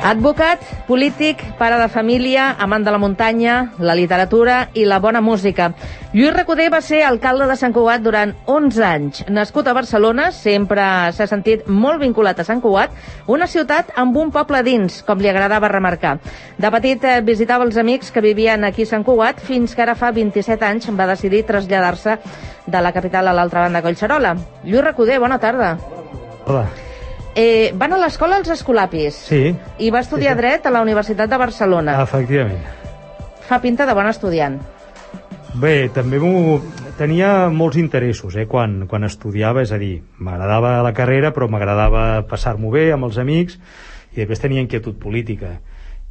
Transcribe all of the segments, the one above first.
Advocat, polític, pare de família, amant de la muntanya, la literatura i la bona música. Lluís Recoder va ser alcalde de Sant Cugat durant 11 anys. Nascut a Barcelona, sempre s'ha sentit molt vinculat a Sant Cugat, una ciutat amb un poble dins, com li agradava remarcar. De petit visitava els amics que vivien aquí a Sant Cugat, fins que ara fa 27 anys va decidir traslladar-se de la capital a l'altra banda de Collserola. Lluís Recoder, bona tarda. Hola. Van a l'escola als Escolapis. Sí. I va estudiar dret a la Universitat de Barcelona. Efectivament. Fa pinta de bon estudiant. Bé, també tenia molts interessos quan estudiava, és a dir, m'agradava la carrera, però m'agradava passar-m'ho bé amb els amics, i després tenia inquietud política.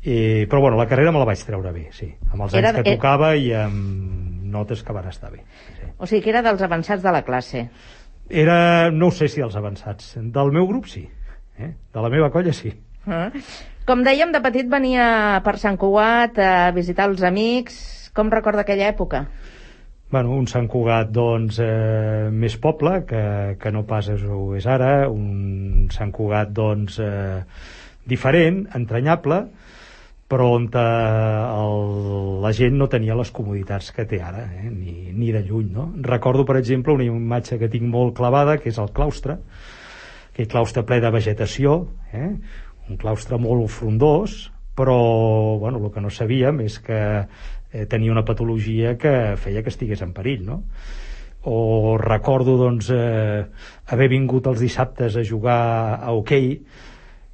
Però bueno, la carrera me la vaig treure bé, sí, amb els anys que tocava i amb notes que van estar bé. Sí. O sigui que era dels avançats de la classe. No sé si dels avançats. Del meu grup sí. De la meva colla sí. Com dèiem, de petit venia per Sant Cugat a visitar els amics. Com recorda aquella època? Bueno, un Sant Cugat, doncs, més poble que no pas ho és ara. Un Sant Cugat, doncs, diferent, entranyable, però on la gent no tenia les comoditats que té ara, ni de lluny, no? Recordo, per exemple, una imatge que tinc molt clavada, que és el claustre, aquell claustre ple de vegetació, un claustre molt frondós, però, bueno, el que no sabíem és que tenia una patologia que feia que estigués en perill, no? O recordo, doncs, haver vingut els dissabtes a jugar a hoquei,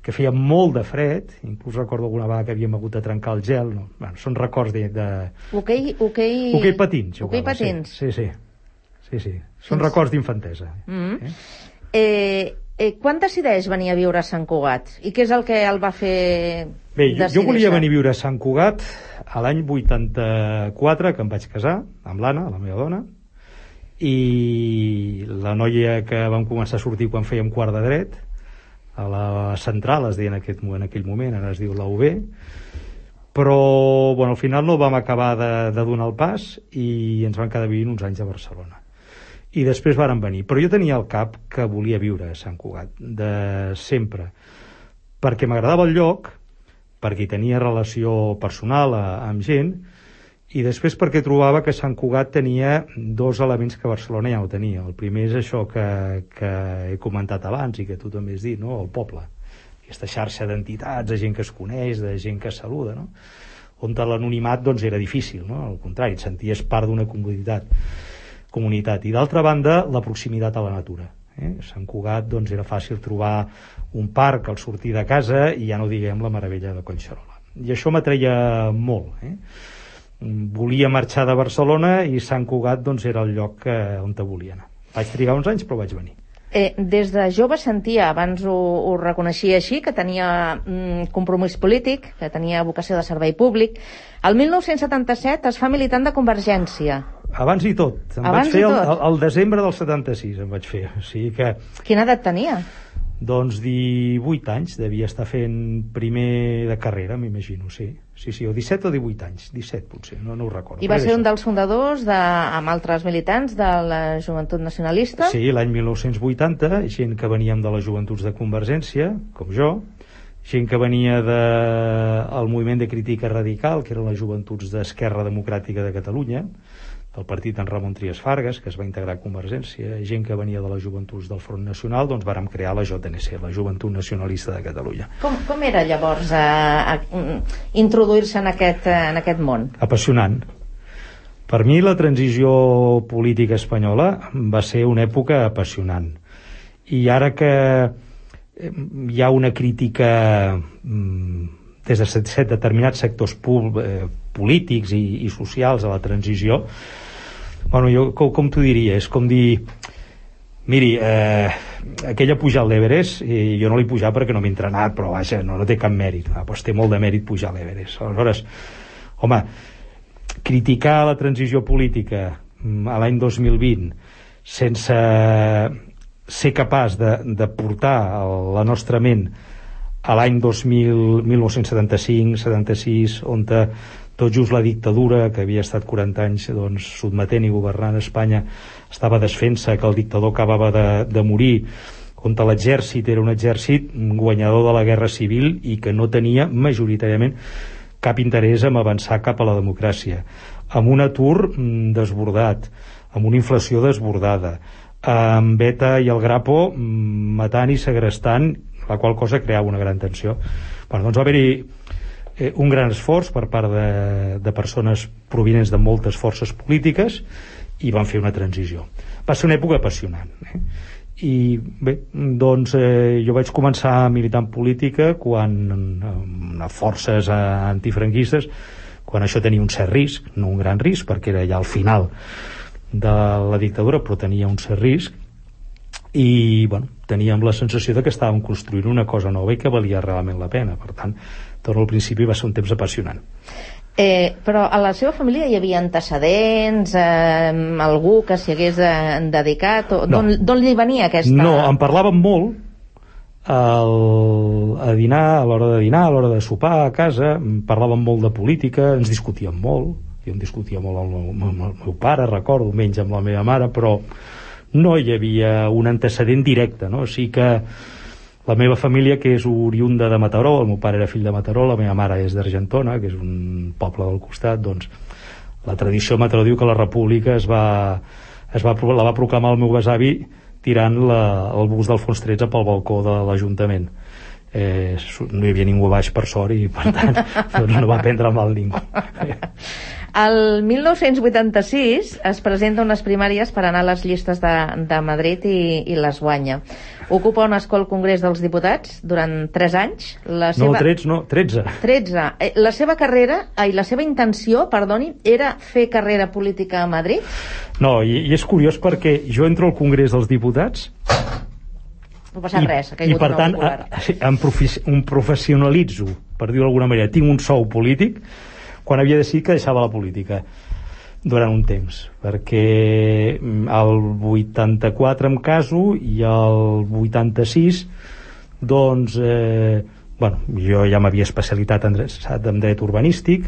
que feia molt de fred, inclús recordo alguna vegada que havíem hagut de trencar el gel, no? Bueno, són records de... Hoquei patins. Hoquei patins. Sí. Són records d'infantesa. Quan decideix venir a viure a Sant Cugat? I què és el que el va fer decidir? Jo volia venir a viure a Sant Cugat a l'any 84, que em vaig casar amb l'Anna, la meva dona, i la noia que vam començar a sortir quan fèiem quart de dret, a la central, es deia en aquell moment, ara es diu la UB, però bueno, al final no vam acabar de donar el pas i ens vam quedar vivint uns anys a Barcelona. I després vàrem venir. Però jo tenia al cap que volia viure a Sant Cugat, de sempre, perquè m'agradava el lloc, perquè hi tenia relació personal amb gent, i després perquè trobava que Sant Cugat tenia dos elements que Barcelona ja no tenia. El primer és això que he comentat abans i que tu també has dit, no? El poble, aquesta xarxa d'entitats, de gent que es coneix, de gent que es saluda, no? On l'anonimat, doncs, era difícil, no? Al contrari, et senties part d'una comunitat. I d'altra banda, la proximitat a la natura. Sant Cugat, doncs, era fàcil trobar un parc al sortir de casa i ja no diguem la meravella de Collserola. I això m'atreia molt, Volia marxar de Barcelona i Sant Cugat, doncs, era el lloc on volia anar. Vaig trigar uns anys, però vaig venir. Des de jove sentia, abans ho reconeixia així, que tenia compromís polític, que tenia vocació de servei públic. El 1977 es fa militant de Convergència. Abans i tot. Em vaig fer el desembre del 76, em vaig fer. O sigui que... Quina edat tenia? Doncs 18 anys, devia estar fent primer de carrera, m'imagino, sí, o 17 o 18 anys, 17 potser, no ho recordo. I va ser un dels fundadors, amb altres militants, de la Joventut Nacionalista? Sí, l'any 1980, gent que veníem de les joventuts de Convergència, com jo, gent que venia del moviment de crítica radical, que eren les joventuts d'Esquerra Democràtica de Catalunya, del partit en Ramon Trias Fargas, que es va integrar a Convergència, gent que venia de les joventuts del Front Nacional, doncs vàrem crear la JNC, la Joventut Nacionalista de Catalunya. Com era llavors introduir-se en aquest món? Apassionant. Per mi la transició política espanyola va ser una època apassionant. I ara que hi ha una crítica des de determinats sectors polítics i socials a la transició, bueno, jo com t'ho diria, és com dir, miri, aquella pujar a l'Everest, jo no l'he pujat perquè no m'he entrenat, però vaja, no té cap mèrit, doncs té molt de mèrit pujar a l'Everest. Aleshores, home, criticar la transició política a l'any 2020 sense ser capaç de portar la nostra ment a l'any 1975-76, on tot just la dictadura, que havia estat 40 anys doncs, sotmetent i governant Espanya, estava desfent-se, que el dictador acabava de morir, on l'exèrcit era un exèrcit guanyador de la guerra civil i que no tenia majoritàriament cap interès en avançar cap a la democràcia, amb un atur desbordat, amb una inflació desbordada, amb ETA i el Grapo matant i segrestant, la qual cosa creava una gran tensió. Doncs va haver-hi un gran esforç per part de persones provinents de moltes forces polítiques i van fer una transició. Va ser una època apassionant, i bé, doncs jo vaig començar a militar en política quan a forces antifranquistes, quan això tenia un cert risc, no un gran risc perquè era ja al final de la dictadura, però tenia un cert risc, i bueno, teníem la sensació de que estàvem construint una cosa nova i que valia realment la pena. Per tant, torno al principi, va ser un temps apassionant. Però a la seva família hi havia antecedents, algú que s'hi hagués dedicat? No. D'on li venia aquesta...? No, en parlàvem molt a dinar, a l'hora de dinar, a l'hora de sopar a casa, parlàvem molt de política, ens discutíem molt, jo em discutia molt amb el meu pare, recordo, menys amb la meva mare, però no hi havia un antecedent directe, no? O sigui que la meva família, que és oriunda de Mataró, el meu pare era fill de Mataró, la meva mare és d'Argentona, que és un poble del costat, doncs la tradició a Mataró diu que la república la va proclamar el meu besavi tirant el bus d'Alfons XIII pel balcó de l'Ajuntament. No hi havia ningú baix, per sort, i per tant doncs no va prendre mal ningú. El 1986 es presenta unes primàries per anar a les llistes de Madrid i les guanya. Ocupa un escó al Congrés dels Diputats durant 3 anys. No, 13. 13. La seva carrera, la seva intenció, perdoni, era fer carrera política a Madrid? No, i és curiós perquè jo entro al Congrés dels Diputats no passa res, i per tant em professionalitzo, per dir-ho d'alguna manera, tinc un sou polític quan havia decidit que deixava la política durant un temps, perquè el 84 em caso i el 86 doncs jo ja m'havia especialitat en dret urbanístic,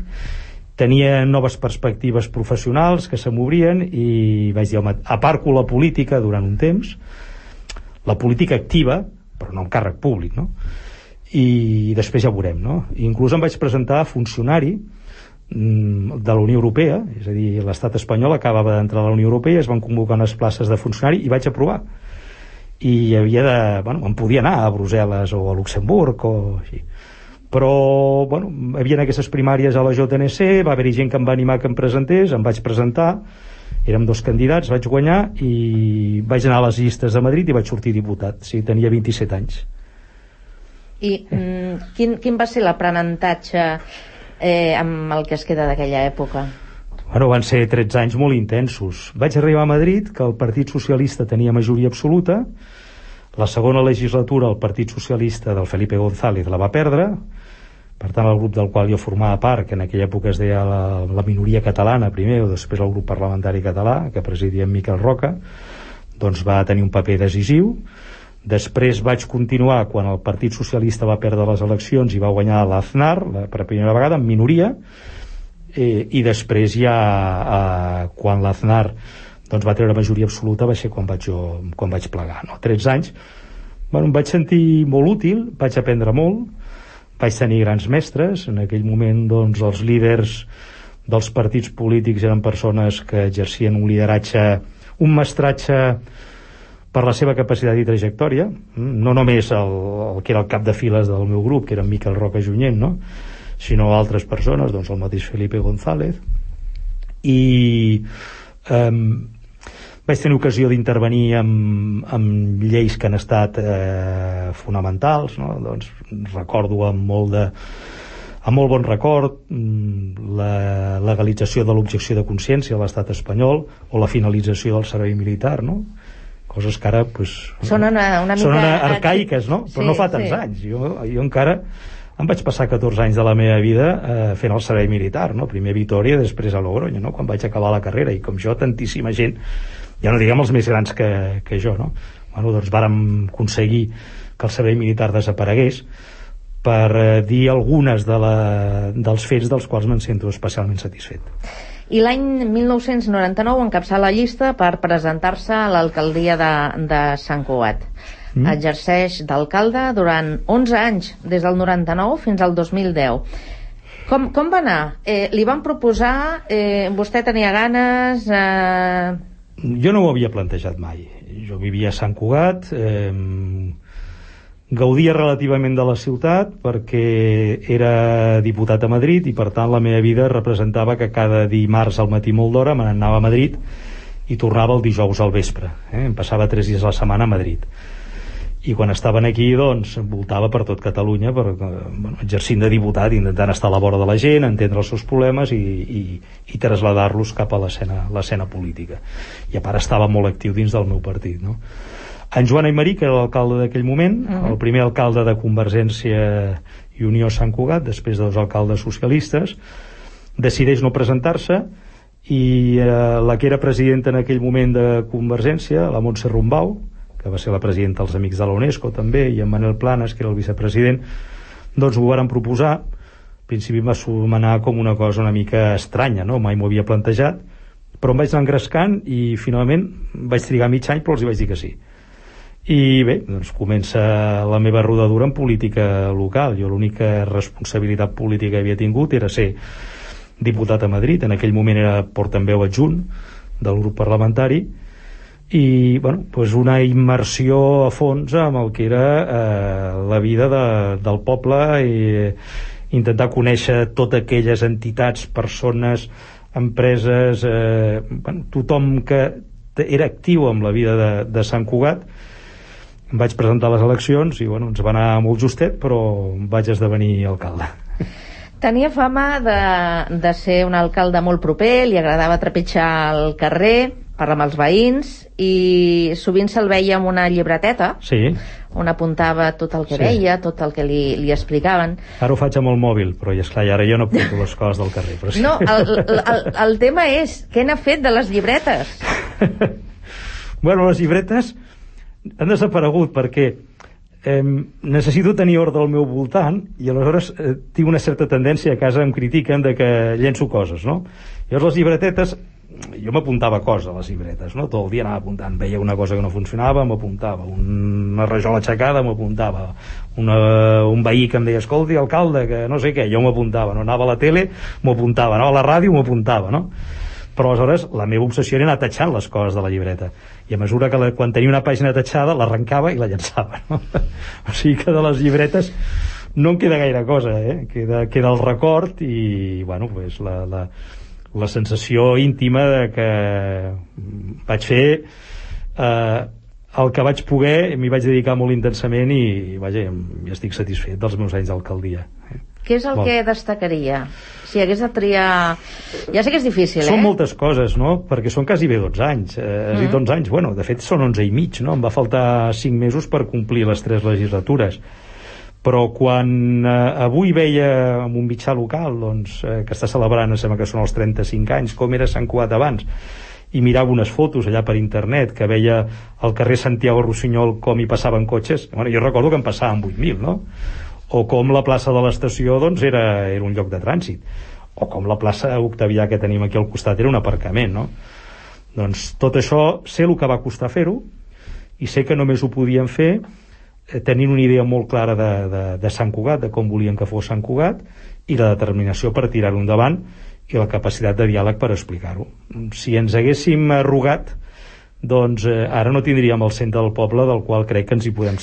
tenia noves perspectives professionals que se m'obrien i vaig dir, home, aparco la política durant un temps, la política activa, però no en càrrec públic, no? I després ja veurem, no? Inclús em vaig presentar a funcionari de la Unió Europea, és a dir, l'estat espanyol acabava d'entrar a la Unió Europea, es van convocar unes places de funcionari i vaig aprovar. I em podia anar a Brussel·les o a Luxemburg o així. Però, hi havia aquestes primàries a la JNC, va haver-hi gent que em va animar que em presentés, em vaig presentar, érem 2 candidats, vaig guanyar i vaig anar a les llistes de Madrid i vaig sortir diputat. Sí, tenia 27 anys. I quin va ser l'aprenentatge amb el que es queda d'aquella època? Van ser 13 anys molt intensos. Vaig arribar a Madrid, que el Partit Socialista tenia majoria absoluta. La segona legislatura el Partit Socialista del Felipe González la va perdre. Per tant, el grup del qual jo formava part, que en aquella època es deia la minoria catalana primer, o després el grup parlamentari català, que presidia en Miquel Roca, doncs va tenir un paper decisiu. Després vaig continuar quan el Partit Socialista va perdre les eleccions i va guanyar l'Aznar per primera vegada en minoria, i després ja quan l'Aznar va treure majoria absoluta va ser quan vaig plegar, no? 13 anys. Em vaig sentir molt útil, vaig aprendre molt, vaig tenir grans mestres. En aquell moment els líders dels partits polítics eren persones que exercien un lideratge, un mestratge per la seva capacitat i trajectòria, no només el que era el cap de files del meu grup, que era Miquel Roca Junyent, no? Sinó altres persones, el mateix Felipe González. I vaig tenir ocasió d'intervenir amb lleis que han estat fonamentals, no? Recordo amb molt bon record la legalització de l'objecció de consciència a l'estat espanyol o la finalització del servei militar, no? Coses que ara sonen una mica arcaiques, no? Però no fa tants anys. Jo encara em vaig passar 14 anys de la meva vida fent el servei militar, no? Primer a Vitòria, després a Logroño, no? Quan vaig acabar la carrera, i com jo, tantíssima gent, ja no diguem els més grans que jo, no? Vàrem aconseguir que el servei militar desaparegués, per dir algunes dels fets dels quals me'n sento especialment satisfet. I l'any 1999 encapçala la llista per presentar-se a l'alcaldia de Sant Cugat. exerceix d'alcalde durant 11 anys, des del 99 fins al 2010. Com va anar? Li van proposar, vostè tenia ganes... Jo no ho havia plantejat mai. Jo vivia a Sant Cugat, gaudia relativament de la ciutat perquè era diputat a Madrid i per tant la meva vida representava que cada dimarts al matí molt d'hora me n'anava a Madrid i tornava el dijous al vespre. Em passava 3 dies a la setmana a Madrid. I quan estaven aquí, doncs, voltava per tot Catalunya exercint de diputat, intentant estar a la vora de la gent, entendre els seus problemes i traslladar-los cap a l'escena política. I a part estava molt actiu dins del meu partit, no? En Joan Aymerí, que era l'alcalde d'aquell moment, el primer alcalde de Convergència i Unió Sant Cugat, després dels alcaldes socialistes, decideix no presentar-se i la que era presidenta en aquell moment de Convergència, la Montse Rumbau, que va ser la presidenta dels Amics de la UNESCO també, i en Manel Planas, que era el vicepresident, doncs ho varen proposar. Al principi va sonar com una cosa una mica estranya, no? Mai m'ho havia plantejat, però em vaig anar engrescant i finalment vaig trigar mig any, però els hi vaig dir que sí. I bé, doncs comença la meva rodadura en política local. Jo l'única responsabilitat política que havia tingut era ser diputat a Madrid, en aquell moment era portaveu adjunt del grup parlamentari, i doncs una immersió a fons amb el que era la vida del poble i intentar conèixer totes aquelles entitats, persones, empreses, tothom que era actiu amb la vida de Sant Cugat. Em vaig presentar a les eleccions i ens va anar molt justet, però vaig esdevenir alcalde. Tenia fama de ser un alcalde molt proper, li agradava trepitjar el carrer, parlar amb els veïns, i sovint se'l veia amb una llibreteta, sí, on apuntava tot el que veia, tot el que li explicaven. Ara ho faig amb el mòbil, però esclar, ara jo no apunto les coses del carrer. Però sí. No, el tema és, què n'ha fet de les llibretes? Les llibretes han desaparegut perquè necessito tenir ordre al meu voltant i aleshores tinc una certa tendència, a casa em critiquen de que llenço coses, no? Llavors les llibretetes, jo m'apuntava coses a les llibretes, no? Tot el dia anava apuntant, veia una cosa que no funcionava, m'apuntava, una rajola aixecada, m'apuntava, un veí que em deia, escolti, alcalde, que no sé què, jo m'apuntava, no? Anava a la tele, m'apuntava, anava a la ràdio, m'apuntava, no? Però aleshores la meva obsessió era anar tatxant les coses de la llibreta, i a mesura que quan tenia una pàgina tatxada l'arrencava i la llançava, no? O sigui que de les llibretes no em queda gaire cosa, queda el record i pues la sensació íntima de que vaig fer el que vaig poder, m'hi vaig dedicar molt intensament i estic satisfet dels meus anys d'alcaldia. Què és el que destacaria? Si hagués de triar... Ja sé que és difícil, Són moltes coses, no? Perquè són quasi bé 12 anys. Has dit 11 anys? De fet són 11 i mig, no? Em va faltar 5 mesos per complir les 3 legislatures. Però quan avui veia en un mitjà local que està celebrant, em sembla que són els 35 anys, com era Sant Cugat abans, i mirava unes fotos allà per internet que veia al carrer Santiago Rossinyol com hi passaven cotxes, jo recordo que en passaven 8.000, no? O com la plaça de l'estació era un lloc de trànsit, o com la plaça Octavià que tenim aquí al costat era un aparcament, no? Doncs tot això sé el que va costar fer-ho i sé que només ho podien fer tenint una idea molt clara de Sant Cugat, de com volien que fos Sant Cugat, i la determinació per tirar-ho endavant i la capacitat de diàleg per explicar-ho. Si ens haguéssim arrugat, doncs ara no tindríem el centre del poble, del qual crec que ens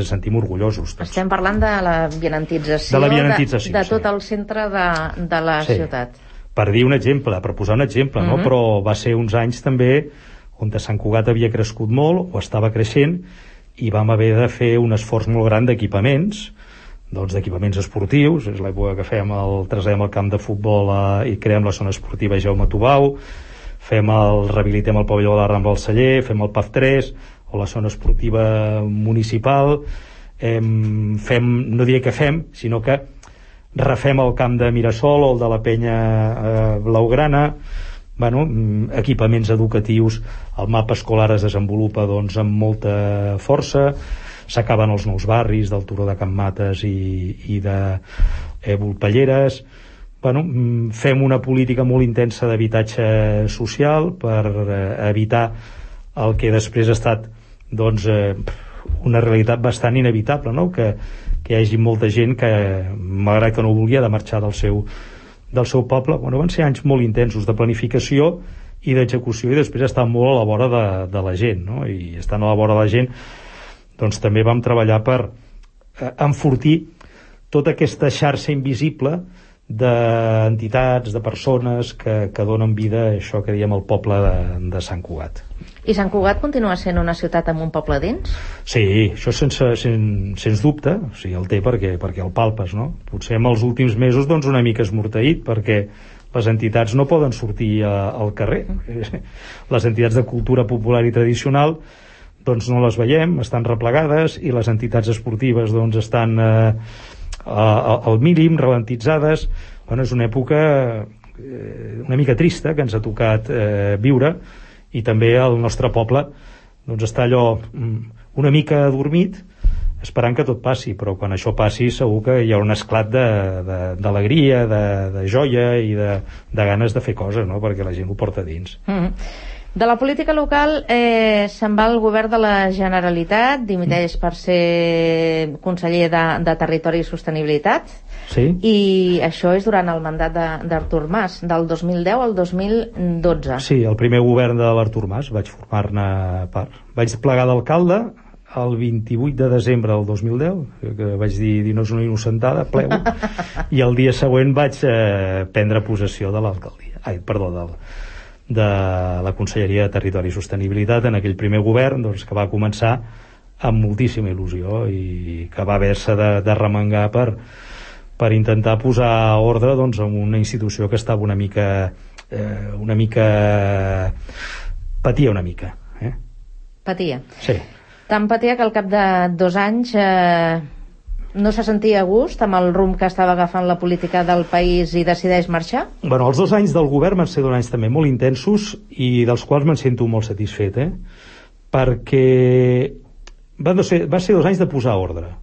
sentim orgullosos tots. Estem parlant de la vianantització de tot el centre de la ciutat. Per dir un exemple, per posar un exemple, no? Però va ser uns anys també on Sant Cugat havia crescut molt o estava creixent i vam haver de fer un esforç molt gran d'equipaments, d'equipaments esportius. És l'època que traslladem el camp de futbol i creem la zona esportiva Jaume Tubau, rehabilitem el pavelló de la Rambla del Celler, fem el PAF3 o la zona esportiva municipal, no diré que fem, sinó que refem el camp de Mirasol o el de la Penya Blaugrana, equipaments educatius, el mapa escolar es desenvolupa amb molta força, s'acaben els nous barris del Turó de Can Mates i de Volpelleres. Fem una política molt intensa d'habitatge social per evitar el que després ha estat una realitat bastant inevitable, no? Que hi hagi molta gent que, malgrat que no volia, de marxar del seu poble. Bueno, van ser anys molt intensos de planificació i d'execució, i després estar molt a la vora de la gent, no? I estant a la vora de la gent, doncs també vam treballar per enfortir tota aquesta xarxa invisible d'entitats, de persones que donen vida a això que diem el poble de Sant Cugat. I Sant Cugat continua sent una ciutat amb un poble dins? Sí, això sens dubte, o sigui, el té perquè el palpes, no? Potser en els últims mesos doncs una mica esmorteït, perquè les entitats no poden sortir al carrer. Les entitats de cultura popular i tradicional doncs no les veiem, estan replegades, i les entitats esportives doncs estan al mínim, ralentitzades. Bueno, és una època una mica trista que ens ha tocat viure, i també el nostre poble doncs està allò una mica adormit, esperant que tot passi, però quan això passi segur que hi ha un esclat d'alegria, de joia i de ganes de fer coses, no? Perquè la gent ho porta dins. De la política local se'n va al govern de la Generalitat, dimiteix per ser conseller de Territori i Sostenibilitat. Sí. I això és durant el mandat d'Artur Mas, del 2010 al 2012. Sí, el primer govern de l'Artur Mas, vaig formar-ne part. Vaig plegar d'alcalde el 28 de desembre del 2010, que vaig dir no és una innocentada, plego, i el dia següent vaig prendre possessió de l'alcaldia. De la Conselleria de Territori i Sostenibilitat, en aquell primer govern doncs, que va començar amb moltíssima il·lusió i que va haver-se de remengar per intentar posar ordre doncs, en una institució que estava una mica patia una mica. Patia? Sí. Tant patia que al cap de 2 anys no se sentia a gust amb el rumb que estava agafant la política del país i decideix marxar? Bueno, els 2 anys del govern van ser 2 anys també molt intensos i dels quals me'n sento molt satisfet, perquè va ser 2 anys de posar ordre.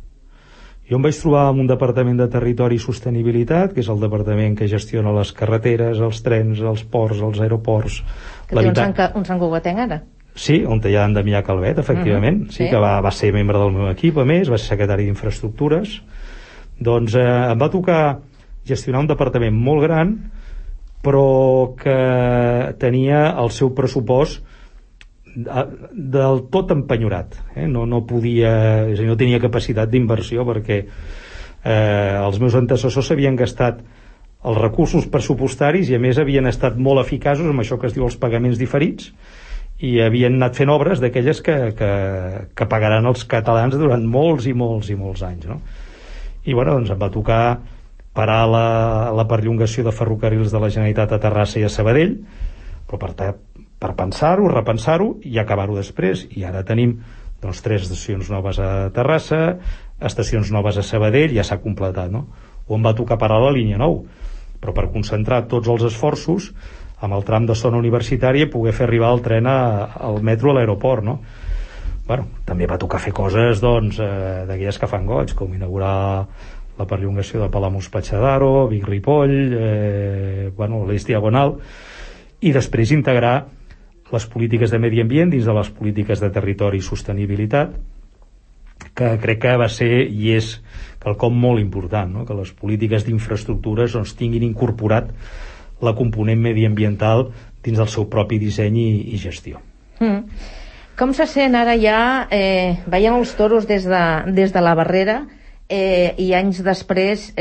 Jo em vaig trobar en un departament de Territori i Sostenibilitat, que és el departament que gestiona les carreteres, els trens, els ports, els aeroports... Que té un Sant Cugatenc ara? Sí, on hi ha en Damià Calvet, efectivament, sí, que va ser membre del meu equip, a més, va ser secretari d'Infraestructures. Doncs em va tocar gestionar un departament molt gran, però que tenia el seu pressupost del tot empenyorat. No podia, és a dir, no tenia capacitat d'inversió, perquè els meus antecessors s'havien gastat els recursos pressupostaris i a més havien estat molt eficaços amb això que es diu els pagaments diferits, i havien anat fent obres d'aquelles que pagaran els catalans durant molts i molts i molts anys, no? I bueno, doncs em va tocar parar la perllongació de ferrocarrils de la Generalitat a Terrassa i a Sabadell, però per pensar-ho, repensar-ho i acabar-ho després. I ara tenim doncs 3 estacions noves a Terrassa, estacions noves a Sabadell, ja s'ha completat, no? O em va tocar parar la línia 9, però per concentrar tots els esforços amb el tram de zona universitària i poder fer arribar el tren al metro a l'aeroport, no? Bueno, també va tocar fer coses doncs d'aquelles que fan goig, com inaugurar la perllongació de Palamós-Patxadaro, Vic-Ripoll, l'Eix Diagonal, i després integrar les polítiques de medi ambient dins de les polítiques de territori i sostenibilitat, que crec que va ser i és quelcom molt important, no? Que les polítiques d'infraestructures doncs, tinguin incorporat la component mediambiental dins del seu propi disseny i gestió. Com se sent ara ja veient els toros des de la barrera i anys després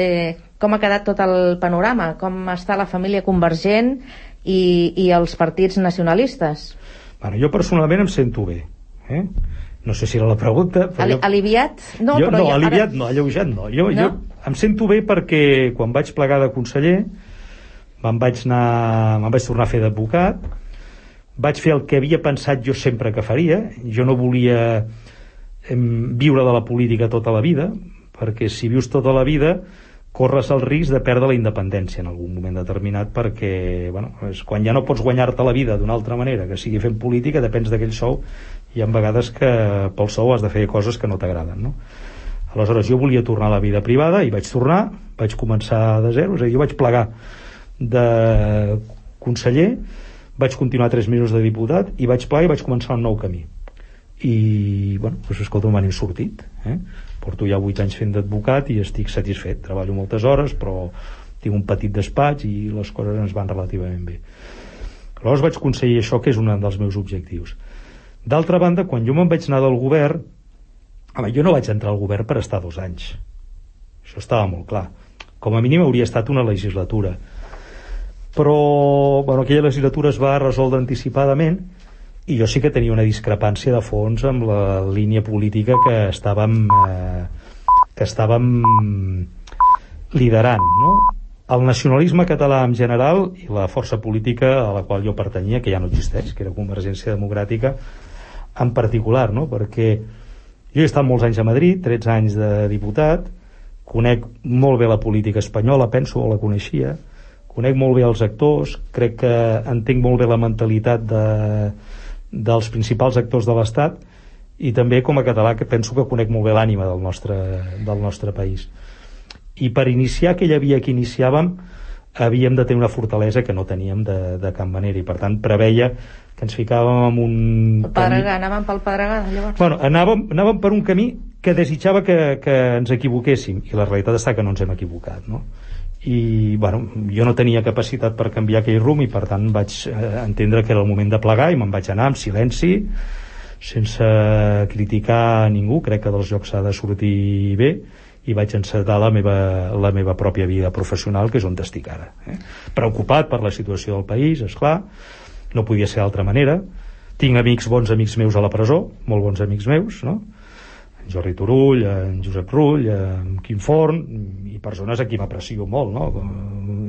com ha quedat tot el panorama? Com està la família convergent i els partits nacionalistes? Bueno, jo personalment em sento bé, no sé si era la pregunta, però aliviat? No, aliviat no, alleujat no. Jo em sento bé perquè quan vaig plegar de conseller me'n vaig tornar a fer d'advocat, vaig fer el que havia pensat jo sempre que faria. Jo no volia viure de la política tota la vida, perquè si vius tota la vida corres el risc de perdre la independència en algun moment determinat, perquè quan ja no pots guanyar-te la vida d'una altra manera que sigui fent política, depens d'aquell sou, i hi ha vegades que pel sou has de fer coses que no t'agraden, no? Aleshores jo volia tornar a la vida privada i vaig tornar, vaig començar de zero, és a dir, jo vaig plegar de conseller, vaig continuar 3 mesos de diputat i vaig plegar i vaig començar un nou camí. i bueno, doncs escolta, me n'he sortit, porto ja 8 anys fent d'advocat i estic satisfet, treballo moltes hores però tinc un petit despatx i les coses ens van relativament bé. Aleshores vaig aconseguir això, que és un dels meus objectius. D'altra banda, quan jo me'n vaig anar del govern, jo no vaig entrar al govern per estar 2 anys, això estava molt clar, com a mínim hauria estat una legislatura, però bueno, aquella legislatura es va resoldre anticipadament i jo sí que tenia una discrepància de fons amb la línia política que estàvem liderant, no? El nacionalisme català en general i la força política a la qual jo pertanyia, que ja no existeix, que era Convergència Democràtica en particular, no? Perquè jo he estat molts anys a Madrid, 13 anys de diputat, conec molt bé la política espanyola, penso, o la coneixia, conec molt bé els actors, crec que entenc molt bé la mentalitat dels principals actors de l'Estat i també com a català que penso que conec molt bé l'ànima del nostre país. I per iniciar aquella via que iniciàvem havíem de tenir una fortalesa que no teníem de cap manera i per tant preveia que ens ficàvem en un anàvem pel Pedregà llavors? Bueno, anàvem per un camí que desitjava que ens equivoquéssim i la realitat està que no ens hem equivocat, no? I bueno, jo no tenia capacitat per canviar aquell rumb i per tant vaig entendre que era el moment de plegar i me'n vaig anar amb silenci, sense criticar a ningú. Crec que dels jocs s'ha de sortir bé i vaig encetar la meva pròpia vida professional, que és on estic ara, preocupat per la situació del país, esclar, no podia ser d'altra manera. Tinc bons amics meus a la presó, molt bons amics meus, no? En Jordi Turull, en Josep Rull, en Quim Forn, i persones a qui m'aprecio molt, no?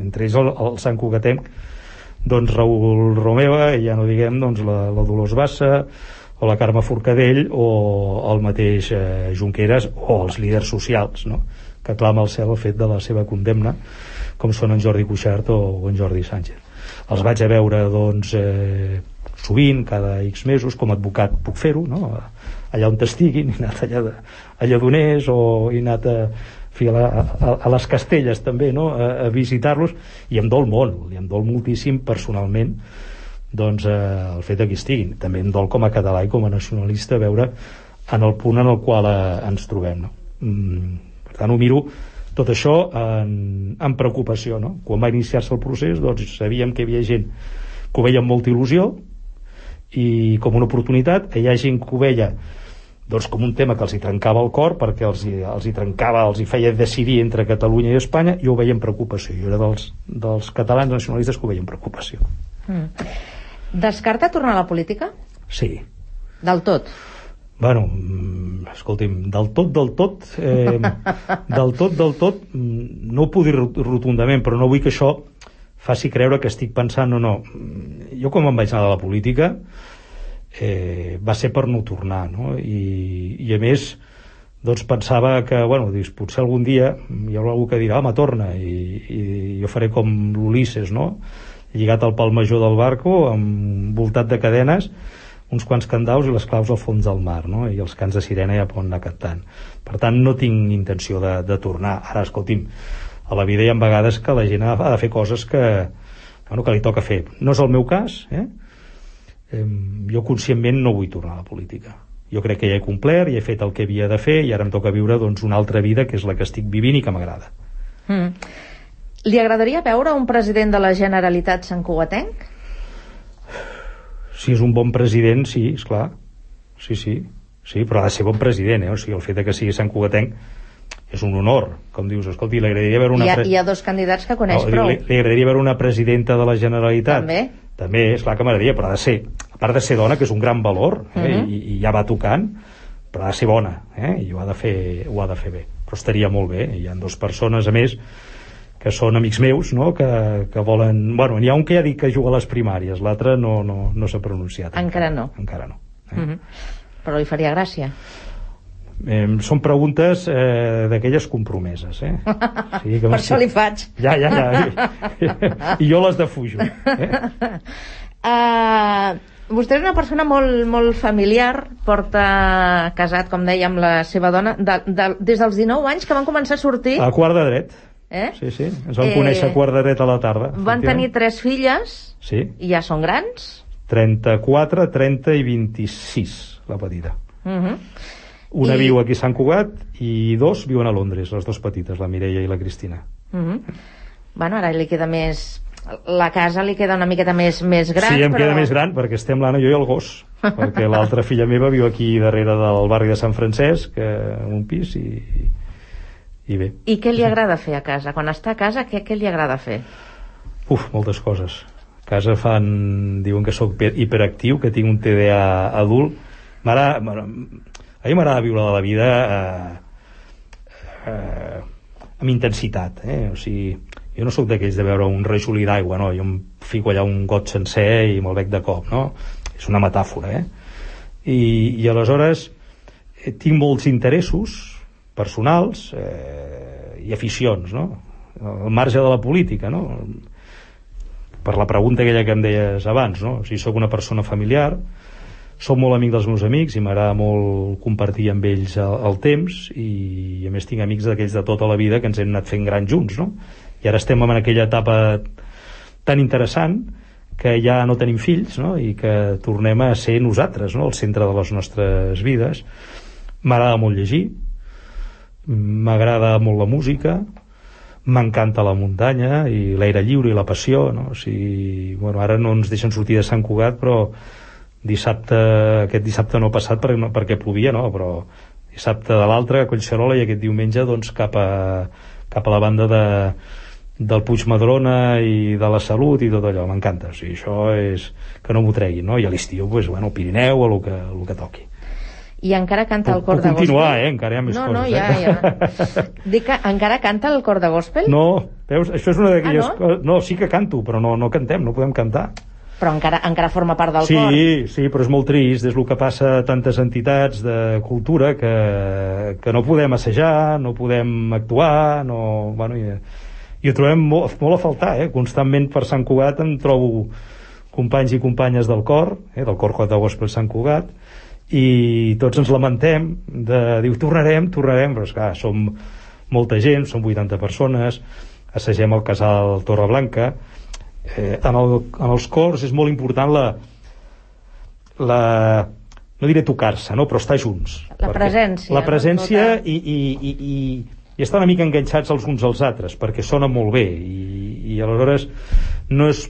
Entre ells el Sant Cugatenc, doncs Raül Romeva, i ja no diguem doncs la Dolors Bassa, o la Carme Forcadell, o el mateix Junqueras, o els líders socials, no? Que clama al cel el fet de la seva condemna, com són en Jordi Cuixart o en Jordi Sánchez. Els vaig a veure doncs sovint, cada X mesos, com a advocat puc fer-ho, no? Allà on estiguin, he anat a Lledoners o he anat a les Castelles també, no? A visitar-los, i em dol molt, i em dol moltíssim personalment doncs el fet que estiguin. També em dol com a català i com a nacionalista veure en el punt en el qual ens trobem, no? Per tant ho miro tot això en preocupació, no? Quan va iniciar-se el procés doncs sabíem que hi havia gent que ho veia amb molta il·lusió i com una oportunitat, que hi ha gent que ho veia doncs com un tema que els hi trencava el cor perquè els hi feia decidir entre Catalunya i Espanya, i ho veia amb preocupació. Jo era dels catalans nacionalistes que ho veia amb preocupació. Descarta tornar a la política? Sí. Del tot? Bueno, escolti'm, del tot no ho puc dir rotundament, però no vull que això faci creure que estic pensant no. Jo quan me'n vaig anar de la política va ser per no tornar, no? I a més doncs pensava que, bueno, potser algun dia hi haurà algú que dirà, home, torna, i jo faré com l'Ulisses, no? Lligat al pal major del barco, envoltat de cadenes, uns quants candaus i les claus al fons del mar, no? I els cants de sirena ja poden anar cantant. Per tant, no tinc intenció de tornar. Ara, escolti'm, a la vida hi ha vegades que la gent ha de fer coses que li toca fer. No és el meu cas, jo conscientment no vull tornar a la política. Jo crec que ja he complert, ja he fet el que havia de fer i ara em toca viure doncs una altra vida, que és la que estic vivint i que m'agrada. Li agradaria veure un president de la Generalitat santcugatenc? Si és un bon president, sí, esclar. Sí, però ha de ser bon president, O sigui, el fet que sigui santcugatenc és un honor, com dius. Escolti, li agradaria veure una... Hi ha dos candidats que coneix prou. Li agradaria veure una presidenta de la Generalitat? També, esclar que m'agradaria, però ha de ser, a part de ser dona, que és un gran valor, i ja va tocant, però ha de ser bona, i ho ha de fer bé. Però estaria molt bé. Hi ha dues persones, a més, que són amics meus, no? que volen... Bueno, n'hi ha un que ja ha dit que juga a les primàries, l'altre no s'ha pronunciat. Encara no. Però li faria gràcia. Són preguntes d'aquelles compromeses, Sí, que per això li faig. Ja. I jo les defujo. Vostè és una persona molt familiar, porta casat, com deia, amb la seva dona des dels 19 anys, que van començar a sortir a quart de dret. Sí, ens vam conèixer a quart de dret a la tarda. Van tenir 3 filles, sí. I ja són grans? 34, 30 i 26. la petita. Una viu aquí a Sant Cugat i 2 viuen a Londres, les 2 petites, la Mireia i la Cristina. Bueno, ara li queda més... La casa li queda una miqueta més gran. Sí, em queda més gran perquè estem l'Anna, jo i el gos, perquè l'altra filla meva viu aquí darrere del barri de Sant Francesc, en un pis, i bé. I què li agrada fer a casa? Quan està a casa, què li agrada fer? Moltes coses. A casa diuen que sóc hiperactiu, que tinc un TDA adult. A mi m'agrada viure la vida amb intensitat, o sigui, jo no sóc d'aquells de veure un rajolí d'aigua, no? Jo em fico allà un got sencer i me'l bec de cop, no? És una metàfora, I aleshores tinc molts interessos personals i aficions, no? Al marge de la política, no? Per la pregunta aquella que em deies abans, no? O sigui, sóc una persona familiar, soc molt amic dels meus amics i m'agrada molt compartir amb ells el temps, i a més tinc amics d'aquells de tota la vida que ens hem anat fent grans junts, no? I ara estem en aquella etapa tan interessant que ja no tenim fills, no? I que tornem a ser nosaltres, no? Al centre de les nostres vides. M'agrada molt llegir, m'agrada molt la música, m'encanta la muntanya i l'aire lliure i la passió, no? O sigui, bueno, ara no ens deixen sortir de Sant Cugat, però aquest dissabte no ha passat perquè plovia, no? Però dissabte de l'altre a Collserola, i aquest diumenge doncs cap a la banda del Puigmadrona i de la Salut i tot allò, m'encanta. O sigui, això és que no m'ho treguin, no? I a l'estiu, pues, bueno, Pirineu o el que toqui. I encara canta el cor de gospel? Puc continuar, encara hi ha més coses. No, ja. Dic que encara canta el cor de gospel? No, veus, això és una d'aquelles coses... No, sí que canto, però no cantem, no podem cantar. Però encara forma part del cor. Sí, però és molt trist, és el que passa a tantes entitats de cultura que no podem assajar, no podem actuar, bueno, i ho trobem molt a faltar, constantment per Sant Cugat em trobo companys i companyes del cor de gospel Sant Cugat, i tots ens lamentem diu, tornarem, però esclar, som molta gent, som 80 persones, assagem al casal Torreblanca. En els cors és molt important no diré tocar-se, no? Però estar junts, la presència i estar una mica enganxats els uns als altres, perquè sona molt bé, i aleshores no és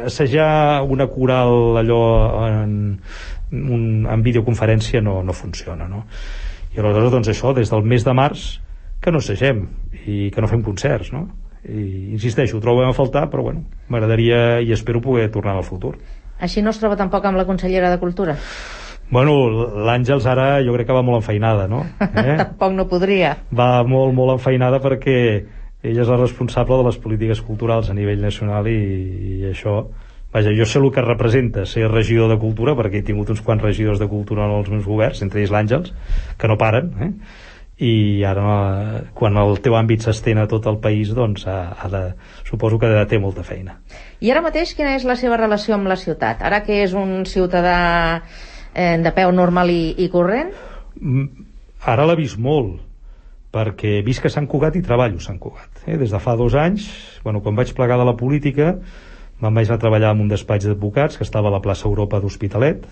assajar una coral allò en videoconferència no funciona, no? I aleshores doncs això, des del mes de març que no assagem i que no fem concerts, no? I insisteixo, ho trobem a faltar, però bueno, m'agradaria i espero poder tornar al futur. Així no es troba tampoc amb la consellera de Cultura? Bueno, l'Àngels ara jo crec que va molt enfeinada, no? Tampoc no podria. Va molt enfeinada perquè ella és la responsable de les polítiques culturals a nivell nacional, i això, vaja, jo sé el que representa ser regidor de Cultura, perquè he tingut uns quants regidors de Cultura en els meus governs, entre ells l'Àngels, que no paren, i ara quan el teu àmbit s'estén a tot el país, doncs suposo que té molta feina. I ara mateix quina és la seva relació amb la ciutat? Ara que és un ciutadà de peu normal i corrent? Ara l'ha vist molt, perquè visc a Sant Cugat i treballo a Sant Cugat. Des de fa 2 anys, quan vaig plegar de la política, me'n vaig anar a treballar en un despatx d'advocats que estava a la plaça Europa d'Hospitalet,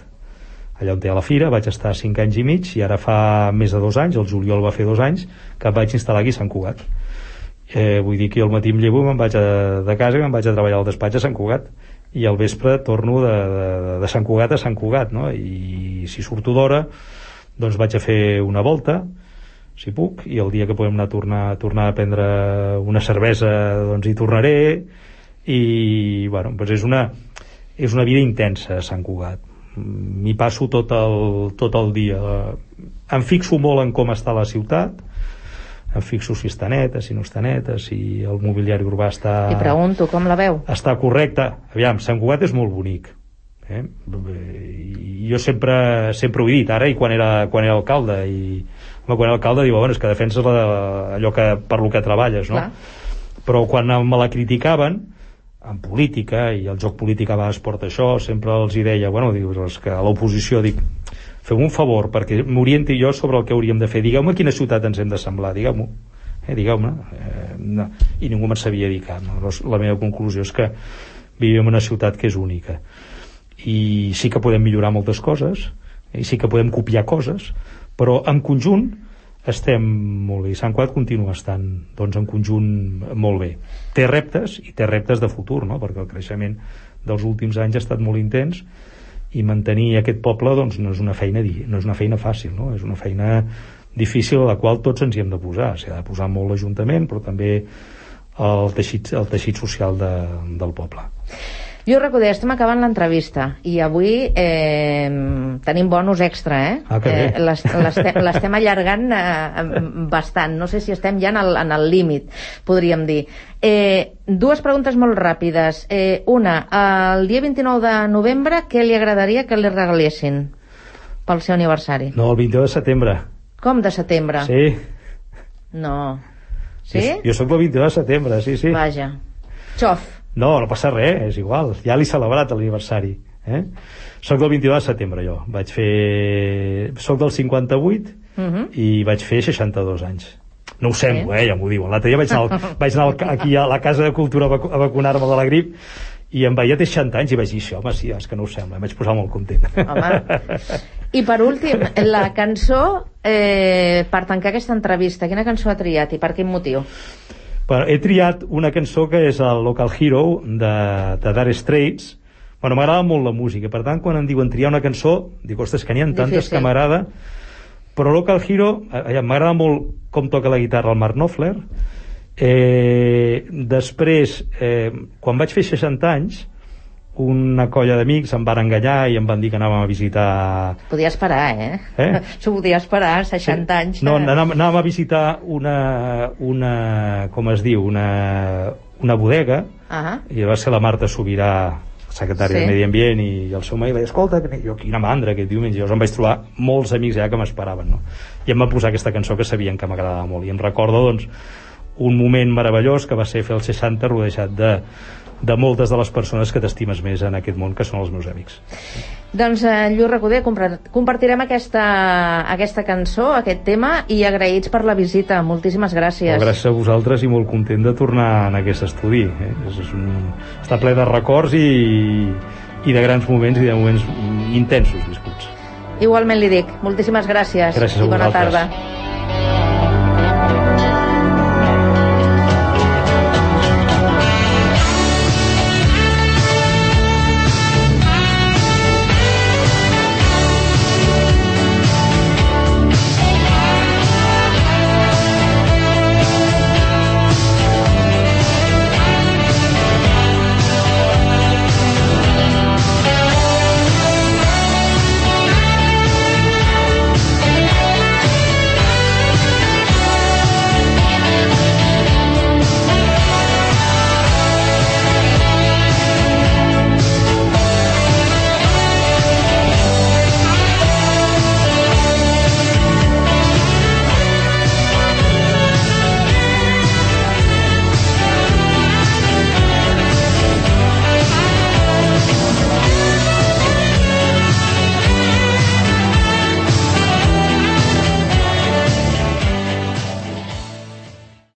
allà on té la fira. Vaig estar 5 anys i mig, i ara fa més de 2 anys, el juliol va fer 2 anys, que em vaig instal·lar aquí a Sant Cugat. Vull dir que al matí em llevo, me'n vaig de casa i me'n vaig a treballar al despatx a Sant Cugat, i al vespre torno de Sant Cugat a Sant Cugat, no? I si surto d'hora, doncs vaig a fer una volta, si puc, i el dia que podem anar a tornar a prendre una cervesa, doncs hi tornaré, i bueno, doncs és una vida intensa a Sant Cugat. M'hi passo tot el dia. Em fixo molt en com està la ciutat, em fixo si està neta, si no està neta, si el mobiliari urbà està... I pregunto, com la veu? Està correcte. Aviam, Sant Cugat és molt bonic. Jo sempre ho he dit, ara i quan era alcalde, quan era alcalde diu, bueno, és que defenses allò per lo que treballes, no? Clar. Però quan me la criticaven en política, i el joc polític a vegades porta això, sempre els hi deia, bueno, dius, que a l'oposició dic, feu un favor perquè m'orienti jo sobre el que hauríem de fer, digueu-me quina ciutat ens hem d'assemblar, digueu-me, no. I ningú me'n sabia dir cap, no? La meva conclusió és que vivim en una ciutat que és única, i sí que podem millorar moltes coses, i sí que podem copiar coses, però en conjunt estem molt bé, i Sant Cugat continua estant doncs, en conjunt molt bé. Té reptes, i té reptes de futur, no? Perquè el creixement dels últims anys ha estat molt intens, i mantenir aquest poble doncs, no és una feina fàcil, no? És una feina difícil a la qual tots ens hi hem de posar. S'hi ha de posar molt l'Ajuntament, però també el teixit social del poble. Lluís Recoder, estem acabant l'entrevista i avui tenim bonus extra, l'estem allargant bastant, no sé si estem ja en el límit, podríem dir. Dues preguntes molt ràpides. Una, el dia 29 de novembre què li agradaria que li regalessin pel seu aniversari? No, el 22 de setembre. Com de setembre? Sí. No. Sí? Jo soc del 22 de setembre, sí. Vaja. Xof. No passa res, és igual, ja l'he celebrat l'aniversari, Soc del 22 de setembre, jo soc del 58 i vaig fer 62 anys. No ho semblo, ja m'ho diuen. L'altre dia vaig anar aquí a la Casa de Cultura a vacunar-me de la grip i em veia té 60 anys i vaig dir, home, sí, és que no ho sembla, em vaig posar molt content. Home. I per últim, la cançó per tancar aquesta entrevista, quina cançó ha triat i per quin motiu? He triat una cançó que és el Local Hero de Dire Straits. Bueno, m'agrada molt la música, per tant, quan em diuen triar una cançó, dic, ostres, que n'hi ha tantes que m'agrada, però Local Hero m'agrada molt com toca la guitarra el Mark Knopfler. Després, quan vaig fer 60 anys, una colla d'amics em van enganyar i em van dir que anàvem a visitar... Podia esperar, S'ho podia esperar, 60 anys. No, anàvem a visitar una com es diu, una bodega, i va ser la Marta Sobirà, secretària de Medi Ambient, i el seu marit va dir, escolta, jo quina mandra aquest diumenge. Llavors em vaig trobar molts amics ja que m'esperaven, no? I em va posar aquesta cançó que sabien que m'agradava molt, i em recordo, doncs, un moment meravellós que va ser fer el 60 rodejat de moltes de les persones que t'estimes més en aquest món, que són els meus amics. Doncs, Lluís Recoder, compartirem aquesta cançó, aquest tema, i agraïts per la visita. Moltíssimes gràcies. Gràcies a vosaltres i molt content de tornar en aquest estudi. Està ple de records i de grans moments i de moments intensos viscuts. Igualment li dic. Moltíssimes gràcies. Gràcies a vosaltres. I bona tarda.